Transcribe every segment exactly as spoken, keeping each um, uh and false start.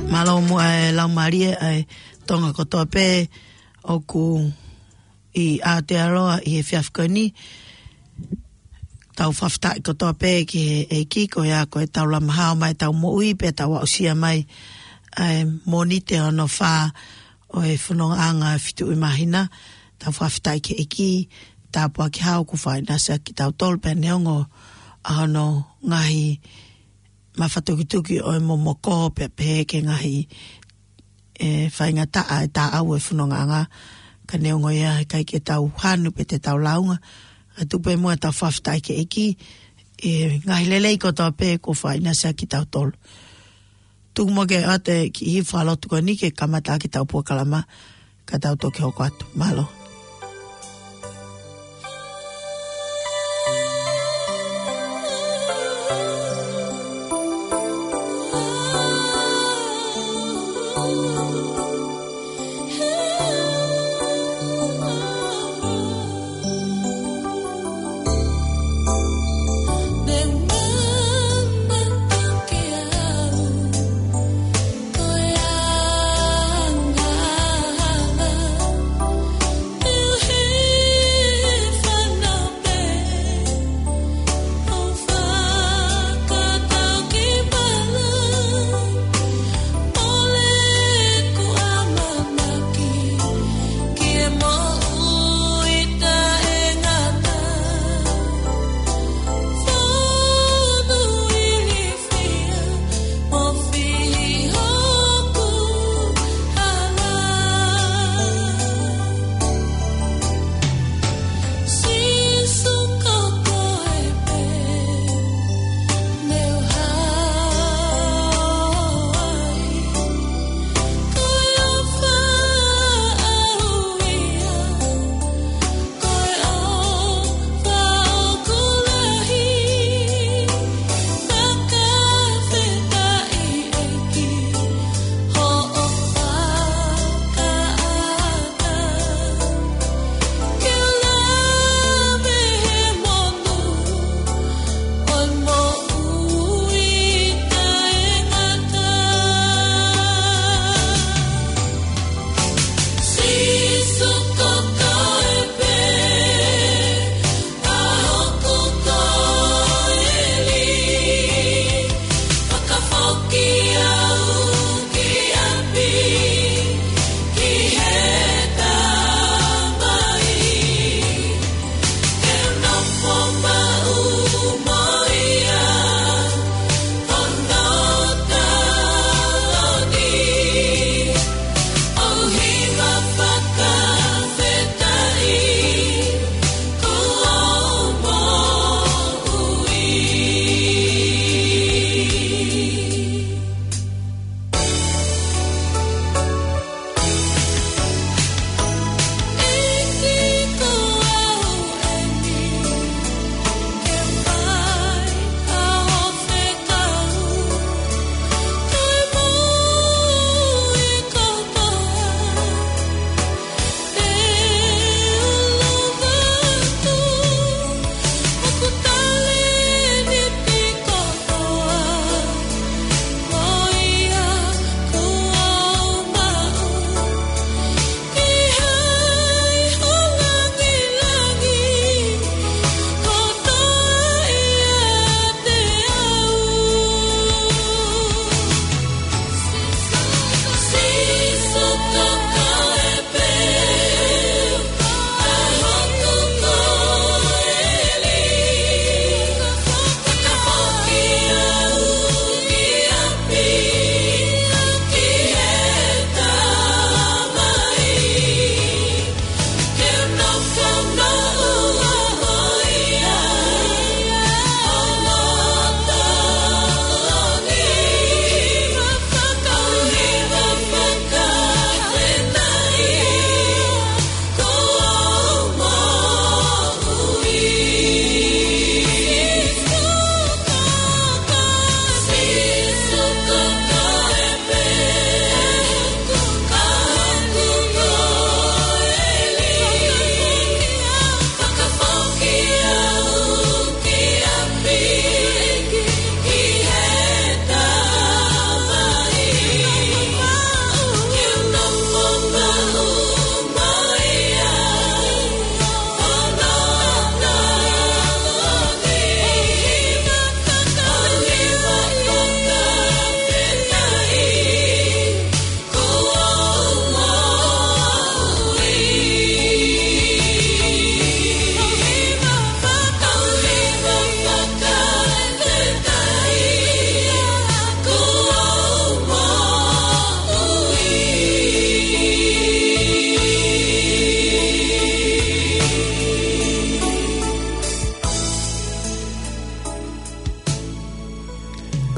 Mālō muʻa e laumālie ʻa e Tonga kotoa pē ʻoku ʻi Aotearoa ʻi he efiafi ko eni. Tau fakafetaʻi kotoa pē ki he ʻEiki, ko ia ko e tau lama hao mai tau moʻui pea tau aʻusia mai ʻa e Mōnite hono fā ʻo e fonongaʻanga fituʻi māhina. Tau fakafetaʻi ki he ʻEiki, tāpuaki hao kuo fakaʻinasi ʻaki kitautolu pea neongo ʻa hono ngaahi mafatukituki ʻo e momoko pea pehē ki he ngaahi, e, faingataʻa e taʻau e fonongaʻanga. Ka neongo ia, ʻikai ke tau hanu pe te tau lāunga. Ka tuku pē muʻa tau fakafetaʻi ki he ʻEiki, e, ngaahi lelei kotoa pē kuo fakaʻinasi ʻaki kitautolu. Tuku muʻa ke ʻoatu e kiʻi fakalotu ko eni ke kamata ʻaki ʻetau polokalama, ka tau toki hoko atu. Mālō.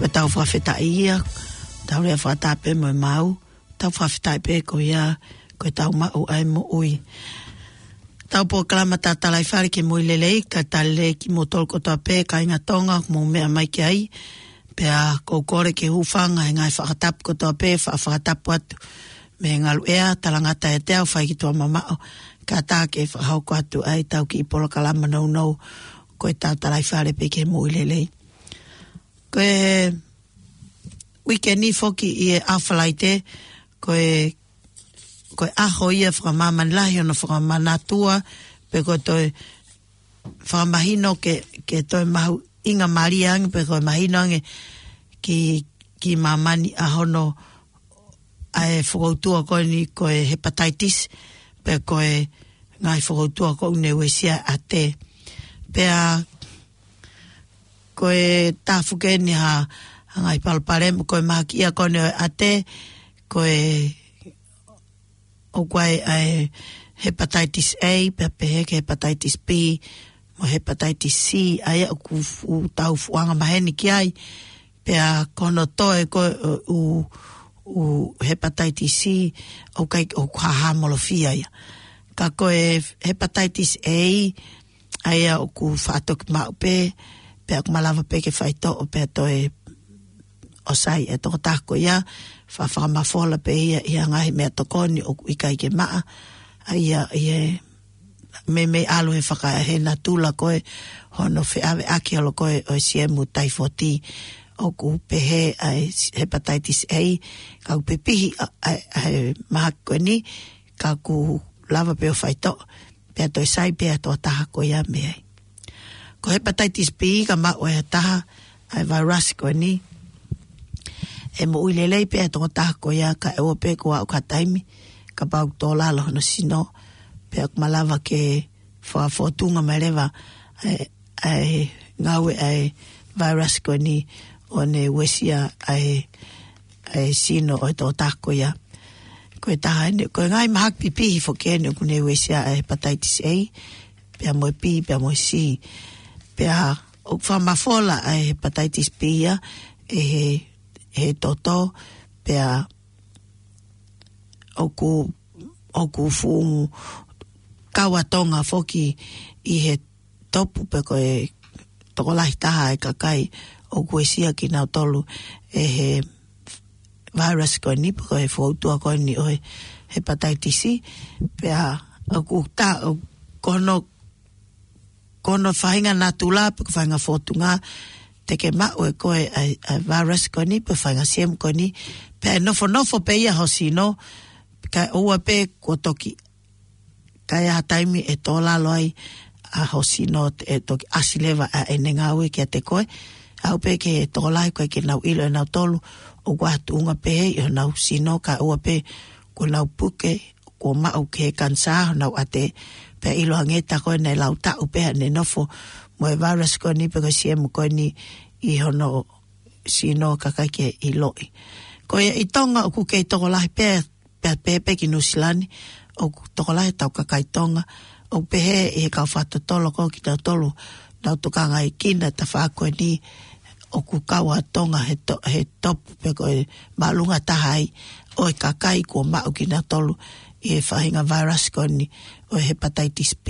Ko e tau fakafetaʻi ia, tau lea fakataha pē mo e mau, tau fakafetaʻi pē ko ia, ko e tau maʻu ʻa e moʻui. Tau polokalama Tatalaifale ki he Moʻui Lelei, ka tali lelei kimoutolu kotoa pē, kāinga Tonga, mou meʻa mai ki ai, pea ʻoku ou kole ke hūfanga he ngaahi fakatapu kotoa pē, fa-, fakatapu atu mei he ngalu ea, talangata e teau, fai ki tuʻa mamaʻo, ka tā ke fakahoko atu ai tau kiʻi polokalama nounou, ko e Tatalaifale pē ki he Moʻui Lelei. Ko e uike ni foki ʻi he ʻaho Falaite, ko e, ko e ʻaho ia fakamāmani lahi ʻo e fakamanatua, pe ko e toe fakamahino ke, ke toe mahuʻingamālie ange, pe ko e mahino ange ki, ki māmani ʻa hono ʻa e fokoutua ko eni ko e hepataitisi, pe ko e ngaahi fokoutua ko eni ʻoku ne uesia ʻa e ʻate. Pea ko e taha foki eni ha, ha ngaahi palopalema, ko e mahaki ia ko eni ʻo e ʻate, ko e ʻoku ʻi ai ʻa e hepataitisi A, pea pehē ki he hepataitisi B, mo e hepataitisi C, ʻa ia ʻoku fu-, tau fuʻu anga maheni ki ai, pea ko hono toe ko e ʻū, ʻū hepataitisi C, ʻoku ʻikai, ʻoku hāhāmolofia ia. Ka ko e hepataitisi A, ʻa ia ʻoku faʻa toki maʻu pē, pea ʻoku malava pē ke faitoʻo, pea toe ʻosi ai e tokotaha ko ia, fa-, fakamafola pē ia ʻi he ngaahi meʻatokoni ʻoku ʻikai ke maʻa, ʻa ia, ʻi he meimei ʻalu he faka-, he natula ko ē hono feʻaveʻaki holo ko ē ʻo e siemu taifoti, ʻoku pehē ʻa e hepataitisi A, ka ʻoku pipihi ʻa, ʻa, ʻa e mahaki ko eni, ka ʻoku lava pē ʻo faitoʻo, pea toe sai pē ʻa e tokotaha ko ia mei ai. Ko e hepataitisi B ka maʻu ʻe ha taha ʻa e vairasi ko eni, ʻe moʻui lelei pē ʻa e tokotaha ko ia kae ʻoua pē kuo aʻu ki ha taimi, kapau ʻoku tō lalo hono sino, pea ʻoku malava ke fakafōtunga mai leva ʻa e, ʻa e ngāue ʻa e vairasi ko eni ʻo ne uesia ʻa e, ʻa e sino ʻo e tokotaha ko ia. Ko e taha eni, ko e ngaahi mahaki pipihi foki eni ʻoku ne uesia ʻa e hepataitisi A, pea mo e B, pea mo e C. Pea ʻoku fakamafola ʻa e hepataitisi B ia ʻe he, he toto, pea ʻoku, ʻoku fuʻu kau ʻa Tonga foki ʻi he topu pe ko e tokolahi taha e kakai ʻoku uesia kinautolu ʻe he vairasi ko eni pe ko e fokoutua ko eni ʻo e hepataitisi, pea ʻoku tā, ʻo, ko hono, ko hono faʻahinga natula pe ko e faʻahinga fōtunga te ke maʻu ʻe koe ʻa e, ʻa e vairasi ko eni pe faʻahinga siemu ko eni, pea ʻe nofonofo pē ia ho sino, kae ʻoua pē kuo toki ka ʻi ai ha taimi ʻe tō lalo ai ʻa ho sino ʻe toki ʻasi leva ʻa ʻene ngāue kiate koe. Aʻu pē ki he tokolahi ko ē ke nau ʻilo ʻe nautolu ʻoku ʻi ai ha tuʻunga pehē ʻi honau sino kae ʻoua pē kuo nau puke, kuo maʻu ki he kanisā honau ʻate, pea ʻiloange tā ko ē naʻe lau taʻu pē ʻene nofo mo e vairasi ko eni pe ko e siemu ko eni ʻi hono sino kae ʻikai ke ʻiloʻi. Ko ia ʻi Tonga ʻoku kei tokolahi pē pea pehē pē ki Nuʻusila ni, ʻoku tokolahi ʻetau kakai Tonga, ʻoku pehē ʻe he kau fakatotolo ko kinautolu, nau tokangaʻi kina tafaʻaki ko eni, ʻoku kau ʻa Tonga he to-, he topu pe ko e māʻolunga taha ai ʻo e kakai kuo maʻu kinautolu ʻi he faʻahinga vairasi ko eni ʻo e hepataitisi B.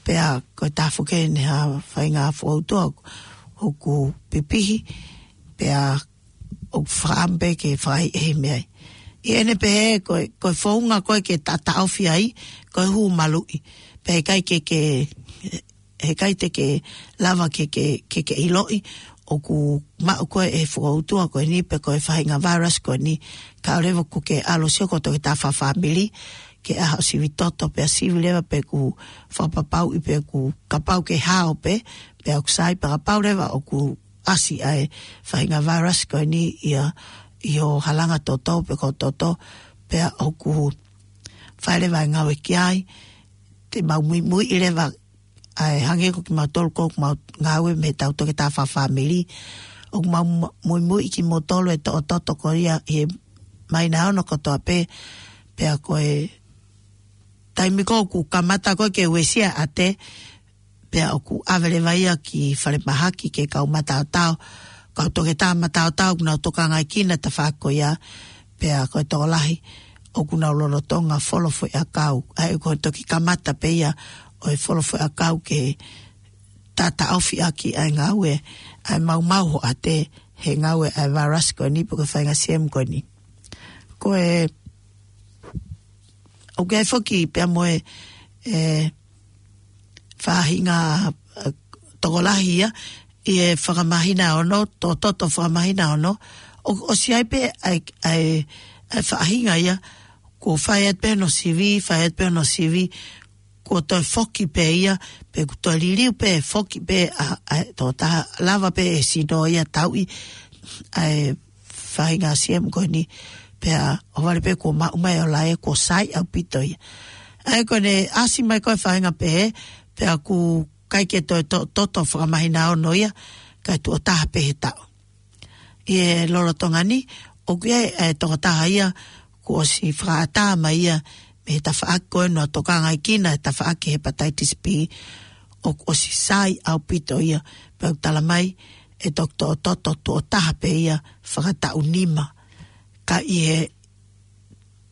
Pea ko e taha foki eni ha faʻahinga fokoutua ʻoku pipihi, pea ʻoku faʻa pē ke fai ʻe he meʻa ai. ʻI heʻene pehē, ko e, ko e founga ko ē ke ta-, taʻofi ai, ko e hū maluʻi. Pea ʻikai ke, ke, ʻikai te ke lava ke, ke, ke, ke ʻiloʻi, ʻoku maʻu ko ē ʻe he fokoutua ko eni, pe ko e faʻahinga vairasi ko eni, kae ʻoua leva kuo ke ʻalu ʻo sio ko e toketā fakafāmili, ke ʻai haʻo sivi toto, pea sivi leva pe ʻoku fakapapauʻi pe ʻoku kapau ke hao pē, pea ʻoku sai pea kapau leva ʻoku ʻasi ʻa e faʻahinga vairasi ko eni ia ʻi ho halanga toto pe ko ho toto, pea ʻoku fai leva e ngāue ki ai, te mau muimuiʻi leva ʻa e hangē ko kimautolu ko ʻoku mau ngāue mei heʻetau toketā fakafāmili, ʻoku mau mu-, muimuiʻi kimoutolu ʻe toʻototo ko ia ʻi he māhina ʻe ono kotoa pē, pea ko e taimi ko ē ʻoku kamata ko ē ke uesia ʻa e ʻate, pea ʻoku ʻave leva ia ki falemahaki ke kau mataotao, kau toketā mataotao ʻoku nau tokangaʻi kinautolu he tafaʻaki ko ia, pea ko e tokolahi ʻoku nau lolotonga folo foʻiʻakau. ʻA ia ko e toki kamata pē ia ʻo e folo foʻiʻakau ke tataʻofi ʻaki ʻa e ngāue ʻa e maumau hoʻate he ngāue ʻa e vailasi ko eni pe ko e faʻahinga siemu ko eni. Ko e, ʻoku ʻi ai foki pea mo e, e, faʻahinga, e, tokolahi ia ʻi he fakamahina ono, to, to, to fakamahina ono, ʻo, ʻosi ʻi ai pē ʻa e, ʻa e, ʻa e faʻahinga ia, kuo fai atu pē hono sivi, fai atu pē hono sivi, kuo toe foki pē ia, pe kuo toe liliu pē, foki pē ʻa, ʻa e tokotaha, lava pē ʻe he sino ia ʻo tauʻi ʻa e faʻahinga siemu ko eni, pea ʻohovale pē kuo maʻu mai ʻo lahi, kuo sai ʻaupito ia. ʻA ia ko ʻene ʻasi mai ko e faʻahinga pehē, pea ʻoku ʻikai ke toe to, to, to fakamahina ono ia, kae tuʻo taha pē he taʻu. ʻI he lolotonga ni, ʻoku ʻi ai e tokotaha ia kuo ʻosi fakaʻatā mai ia mei he tafaʻaki ko ē naʻe tokangaʻi kinautolu he tafaʻaki hepatitis B, ʻoku ʻosi sai ʻaupito ia, pea ʻoku tala mai ʻe Toketā Toto tuʻo taha pē ia fakataʻu nima. Ka ʻi he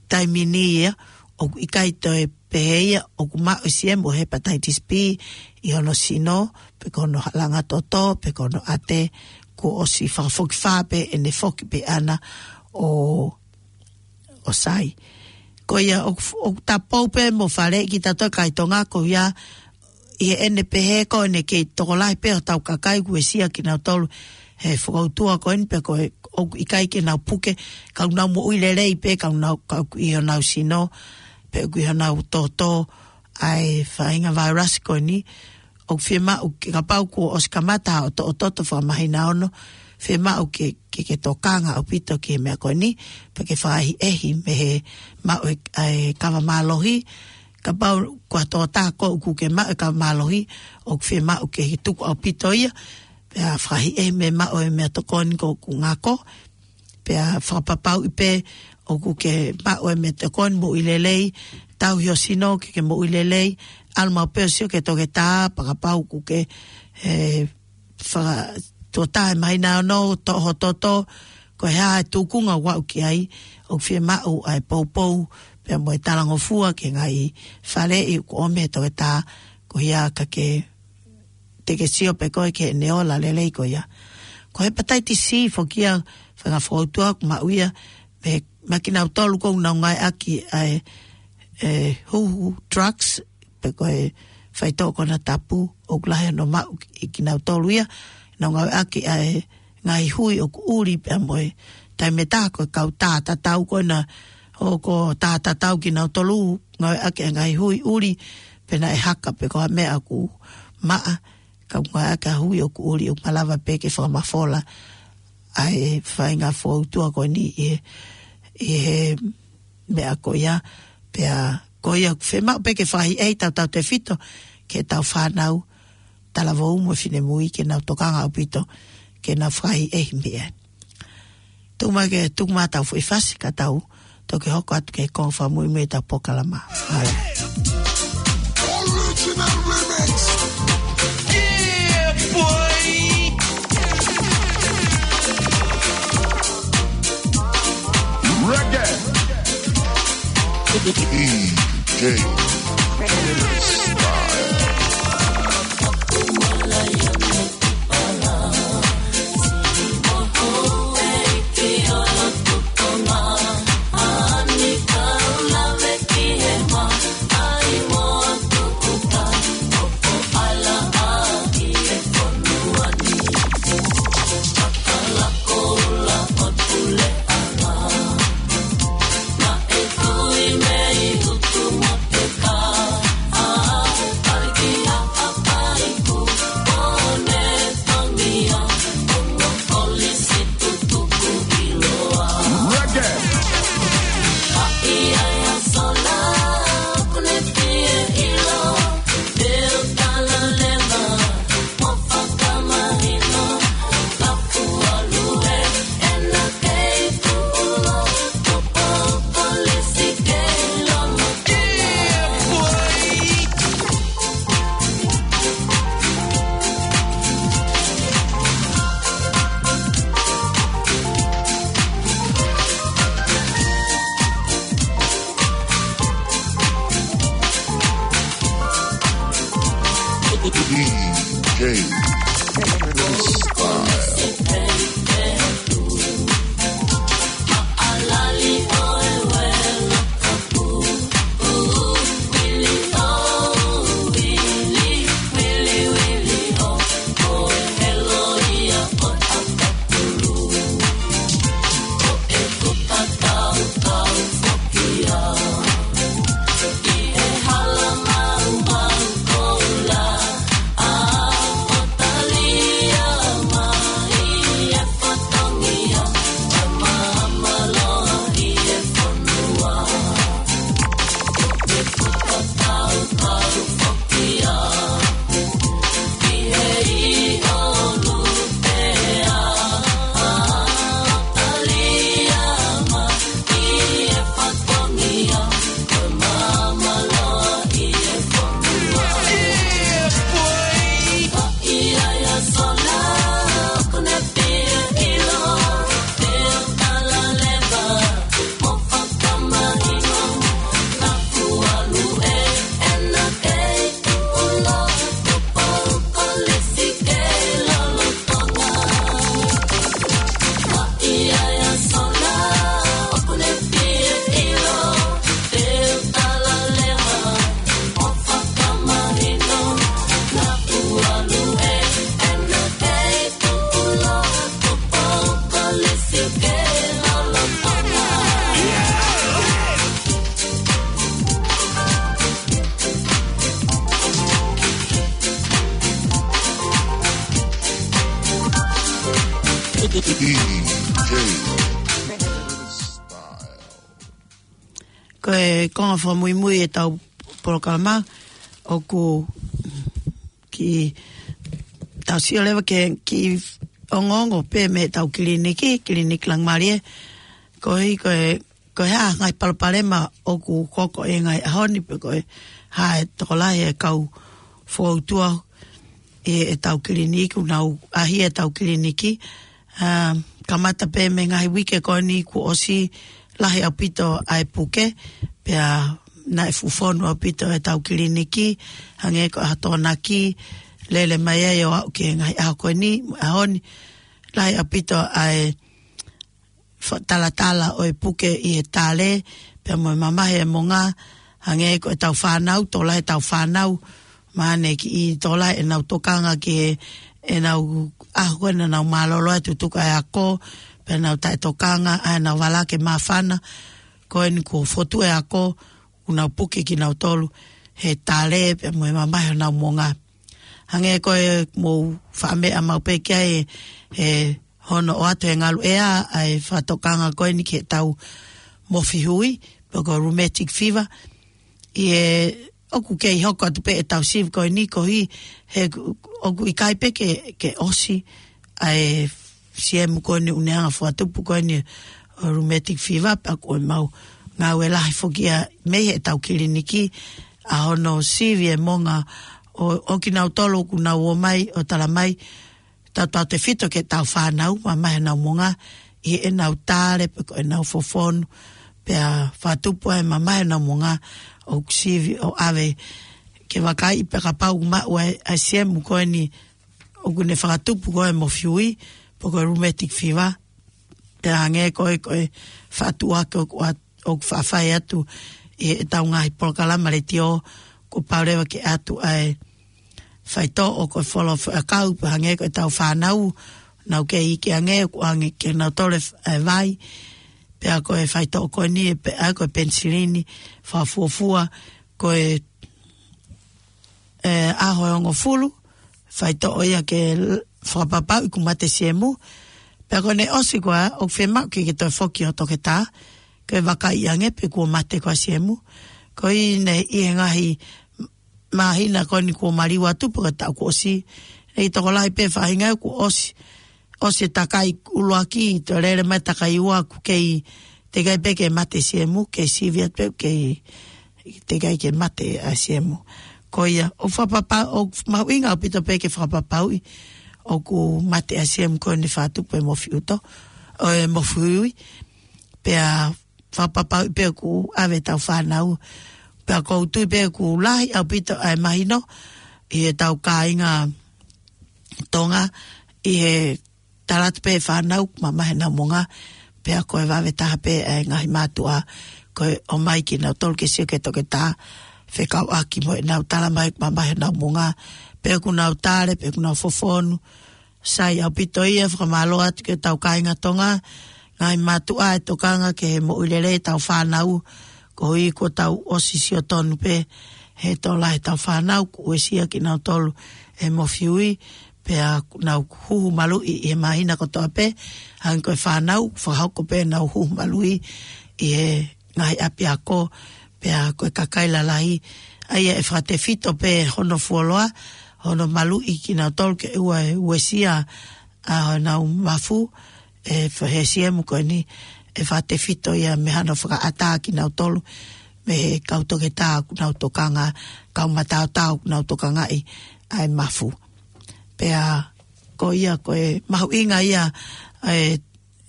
taimi ni ia, ʻoku ʻikai toe pehē ia ʻoku maʻu e siemu ʻo e hepatitis B ʻi hono sino, pe ko hono langa toto, pe ko hono ʻate, kuo ʻosi fakafokifā pē ʻene foki pē ʻana ʻo, ʻo sai. Ko ia ʻoku, ʻoku tapou pē mo faleʻi kitautolu kakai Tonga ko ia, ʻi heʻene pehē ko ʻene kei tokolahi pē hotau kakai kuo uesia kinautolu he fokoutua ko eni, pea ko e ʻoku ʻikai ke nau puke, ka ʻoku nau moʻui lelei pē, ka ʻoku nau, ka ʻoku ʻi honau sino, pe ʻoku ʻi honau toto ʻa e faʻahinga vailasi ko eni. ʻOku fiemaʻu ke, kapau kuo ʻosi kamata ʻo to, ʻo toto fakamahina ono, fiemaʻu ke, ke, ke tokanga ʻaupito ki he meʻa ko eni, pea ke fakaʻehiʻehi mei he maʻu e, ʻa e kava mālohi, kapau ko ha tokotaha ʻoku ke maʻu e kava mālohi, ʻoku fiemaʻu ke tuku ʻaupito ia, pea fakaʻehiʻehi mei he maʻu e meʻatokoni ko ē ʻoku ngako, pea fakapapauʻi pē ʻoku ke maʻu e meʻatokoni, moʻui lelei, tauhi ho sino ke ke moʻui lelei, ʻalu maʻu pē ʻo sio ki he toketā, pea kapau ʻoku ke, e, faka, tuʻo taha he māhina ono, toʻo ho toto, ko e hā e tūkunga ʻoku aʻu ki ai, ʻoku fiemaʻu ʻa e poupou, pea mo e talangofua ki he ngaahi faleʻi ʻoku ʻomi ʻe he toketā, ko ia ka ke, te ke sio pē koe ki heʻene ola lelei ko ia. Ko e hepatitis C foki ia, faʻahinga fokoutua ʻoku maʻu ia, mei, mei kinautolu ʻoku nau ngāueʻaki ʻa e, e, huhu drugs, pe ko e faitoʻo konatapu, ʻoku lahi hono maʻu ʻe kinautolu ia, nau ngāueʻaki ʻa e ngaahi hui ʻoku ʻuli pea mo e taimi ʻe taha ko e kau tā tatau ko ena, ʻoku tā tatau kinautolu, ngāueʻaki ʻa e ngaahi hui ʻuli, pe naʻe haka pe ko ha meʻa ʻoku maʻa, ka ngāueʻaki ʻa e hui ʻoku ʻuli ʻoku malava pē ke fakamafola ʻa e faʻahinga fokoutua ko eni ʻi he, ʻi he meʻa ko ia, pea ko ia ʻoku fiemaʻu pē ke fakaʻehiʻehi tautautefito ki heʻetau fānau, talavou mo e finemui ke nau tokanga ʻaupito, ke nau fakaʻehiʻehi mei ai. Tuku mai ke, tuku mai ʻetau foʻi fasi ka tau toki hoko atu ki he konga fakamuimui ʻetau polokalama. All right. Original remix. Yeah, boy. Reggae. D J Style. Ko e konga fakamuimui ʻetau polokalama, ʻoku kiʻi tau sio leva ki he kiʻi ongoongo pē mei heʻetau kiliniki, Kiliniki Laumālie. Koeʻuhi ko e, ko e hā e ngaahi palopalema ʻoku hoko ʻi he ngaahi ʻaho ni, pe ko e hā e tokolahi e kau foutua ʻi heʻetau kiliniki, ʻoku nau ʻaʻahi ʻetau kiliniki. ʻA, kamata pē mei he ngaahi uike ko eni kuo ʻosi, lahi ʻaupito ʻa e puke, pea naʻe fuʻu fonu ʻaupito ʻetau kiliniki, hangē ko e ʻaho Tokonaki, lele mai ai ʻo aʻu ki he ngaahi ʻaho ko eni, ʻaho ni, lahi ʻaupito ʻa e fa-, talatala ʻo e puke ʻi he tale, pea mo e mamahi e monga, hangē ko ʻetau fānau, tokolahi ʻetau fānau, mahalo ne kiʻi tokolahi ʻenau tokanga ki he, ʻenau ʻaho ko ē naʻa nau mālōlō ai tutuku ʻa e ako, pea nau taʻetokanga, ʻa ʻenau vala ke māfana, ko eni kuo fotu e ako, kuo nau puke kinautolu he tale, pea mo e mamahi honau monga. Hangē ko e mou faʻa meʻa maʻu pē ki ai, he hono ʻoatu he ngalu ʻea ʻa e fakatokanga ko eni ki heʻetau mofi hui, pe ko e rheumatic fever. ʻI he ʻoku kei hoko atu pē ʻetau sivi ko eni koeʻuhi he ʻoku ʻikai pē ke, ke ʻosi ʻa e siemu ko eni ʻoku ne hanga ʻo fakatupu ko eni ʻo e rheumatic fever, pea ko ʻemau ngāue lahi foki ia mei heʻetau kiliniki ʻa hono sivi e monga ʻo, ʻo kinautolu ʻoku nau ō mai ʻo tala mai, tautautefito ki heʻetau fānau, mamahi honau monga, ʻi heʻenau tale, pe ko ʻenau fofonu, pea fakatupu ai mamahi honau monga, ʻoku sivi ʻo ʻave ke vakaiʻi pe kapau ʻoku maʻu ʻa e, ʻa e siemu ko eni ʻoku ne fakatupu ko e mofi hui, pe ko e rheumatic fever, pea hangē ko e, ko e fakatuʻuaki ʻoku ʻat-, ʻoku faʻa fai atu ʻi heʻetau ngaahi polokalama letiō, kuo pau leva ke ʻatu ʻa e faitoʻo ko e folo fo-, ʻakau, pea hangē ko ʻetau fānau, nau kei iiki ange, ʻoku ʻoange kinautolu e f-, e vai, pea ko e faitoʻo ko eni, pea ko e penisilini fakafuofua, ko e, e, ʻaho ʻe hongofulu, faitoʻo ia ke l-, fakapapauʻi kuo mate siemu, pea ko ʻene ʻosi ko ia, ʻoku fiemaʻu ke ke toe foki ʻo toketā, ke vakaiʻi ange pe kuo mate ko ia siemu, koeʻuhi ne ʻi he ngaahi māhina ko eni kuo maliu atu pe ko e taʻu kuo ʻosi. ʻI he tokolahi pē faʻahinga kuo ʻosi, ʻosi e takai ʻuluaki, toe lele mai takai ua ʻoku kei teʻeki ai pē ke mate siemu, kei sivi atu pē, kei teʻeki ai ke mate ʻa siemu. Ko ia, ʻoku fakapapa-, ʻoku mahuʻinga ʻaupito pē ke fakapapauʻi ʻoku mate ʻa siemu ko eni fakatupu e mofi ʻuto, ʻo e mofi hui, pea fakapapauʻi pē ʻoku ʻave ʻetau fānau. Pea ʻoku ou tui pē ʻoku lahi ʻaupito ʻa e mahino ʻi heʻetau kāinga Tonga ʻi he tala atu pē e fānau mamahi ʻenau moʻunga, pea ko e vave taha pē e ngaahi mātuʻa ko e ʻomai kinautolu ke sio ki he toketā, fekauʻaki mo ʻenau tala mai mamahi ʻenau moʻunga, pe ʻoku nau tale, pe ʻoku nau fofonu. Sai ʻaupito ia, fakamālō atu ki hotau kāinga Tonga, ngaahi mātuʻa e tokanga ki he moʻui lelei ʻetau fānau, koeʻuhi kuo tau ʻosi sio tonu pē he tō lahi ʻetau fānau, kuo uesia kinautolu ʻe he mofiui, pea nau huhu maluʻi ʻi he māhina kotoa pē, hangē ko e fānau, fakahoko pē ʻenau huhu maluʻi ʻi he ngaahi ʻapiako, pea ko e kakai lalahi, ʻa ia ʻe fakatefito pē hono fuoloa, hono maluʻi kinautolu ke ʻoua ʻe uesia ʻa honau mafu, ʻe fa-, he siemu ko eni, ʻe fakatefito ia mei hano fakaʻatā kinautolu mei he kau toketā ʻoku nau tokanga, kau mataotao ʻoku nau tokangaʻi ʻa e mafu. Pea ko ia ko e mahuʻinga ia e,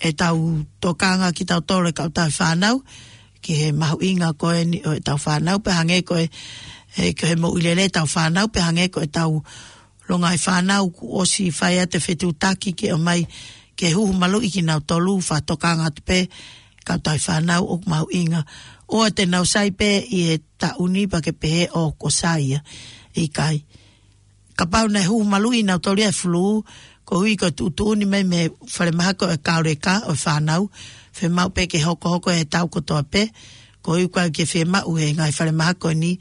ʻetau tokanga kitautolu e kau tauhi fānau, ki he mahuʻinga ko eni ʻo ʻetau fānau, pea hangē ko e, e, ki he moʻui lelei ʻetau fānau, pea hangē ko ʻetau longaʻi fānau kuo ʻosi fai atu e fetuʻutaki ke ʻomai ke huhu maluʻi kinautolu, fakatokanga atu pē kau tauhi fānau ʻoku mahuʻinga. ʻOua te nau sai pē ʻi he taʻu ni pea ke pehē ʻoku sai ia. ʻIkai. Kapau naʻe huhu maluʻi nautolu ia he fulū, koeʻuhi ko e tuʻutuʻuni mai mei he falemahaki ʻo e kauleka ʻo e fānau, fiemaʻu pē ke hokohoko he tau kotoa pē, koeʻuhi ʻoku ʻikai ke fiemaʻu he ngaahi falemahaki ko eni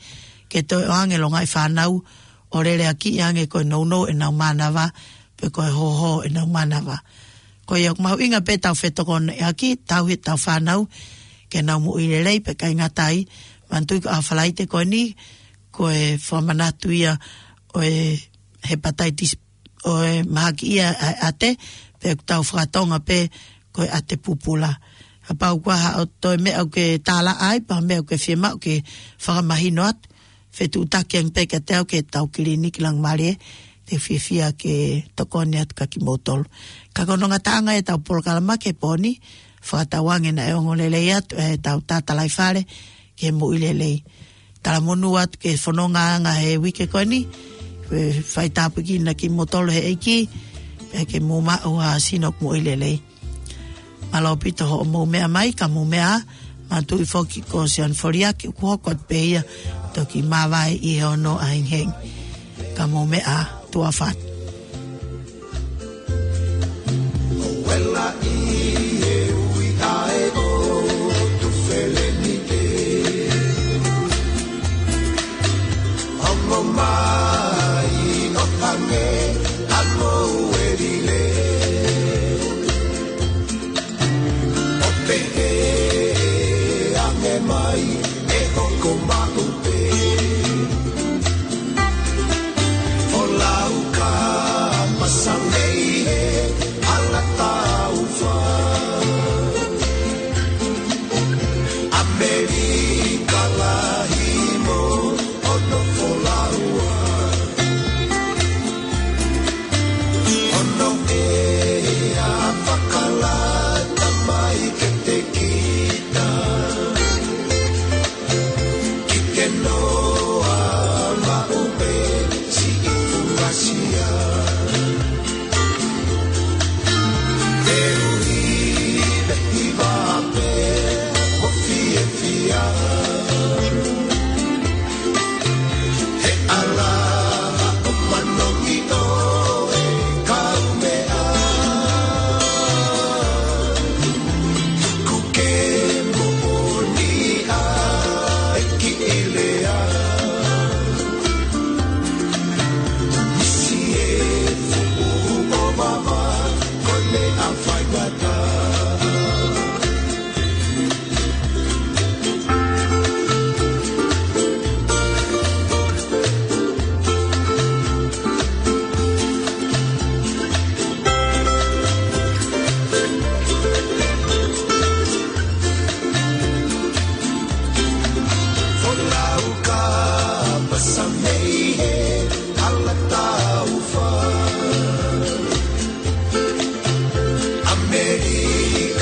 ke toe ʻoange e longaʻi fānau ʻo leleakiʻi ange ko e nounou ʻenau mānava, pe ko e hōhō ʻenau mānava. Ko ia ʻoku mahuʻinga pē ʻetau fetokoneʻaki, tauhi ʻetau fānau ke nau moʻui lelei, pea ʻikai ngata ai, manatuʻi ko e ʻaho Falaite ko eni, ko e fakamanatu ia ʻo e hepatitis, ʻo e mahaki ia ʻa e ʻate, pea ʻoku tau fakatonga pē ko e ʻate pupula. Kapau ʻoku ʻi ai haʻo toe meʻa ʻoku ke tālaʻa ai, pe ha meʻa ʻoku ke fiemaʻu ke fakamahino atu, fetuʻutaki ange pē kiate au ki heʻetau kiliniki Laumālie, te u fiefia ke tokoni atu kiate kimoutolu. Ka ko hono ngataʻanga ʻetau polokalama ki he pō ni, fakatauange naʻe ongo lelei atu ʻetau tatalaifale ki he moʻui lelei. Talamonū atu ki he fonongaʻanga he uike ko eni, ke faitāpuekina kimoutolu ʻe he ʻEiki, pea ke mou maʻu ha sino ʻoku moʻui lelei. Mālō ʻaupito hoʻomou meʻa mai, ka mou meʻa ā, manatuʻi foki ko Sione Foliaki, ʻoku hoko atu pē ia, toki māvae ʻi he ono ʻahiʻahi. Ka mou meʻa ā, tuʻa ʻofa atu. ʻO pehē ange mai ʻe hoko maʻu pē. Folau ka pasa mei he hala taufa. ʻAmelika lahi mo hono folaua. Hono ʻea fakalata mai kiate kita. Ki te noa maʻu pē siʻi funga sia. Te u hivahiva pē mo fiefia. He ʻalaha ʻo manongi ʻo e kaumeʻa. Tuku ke moʻoni ʻa e kiʻi lea. Misi e fuʻu ʻovava, ko e meʻa faingataʻa. Folau ka pasa mei he hala taufa. ʻAmelika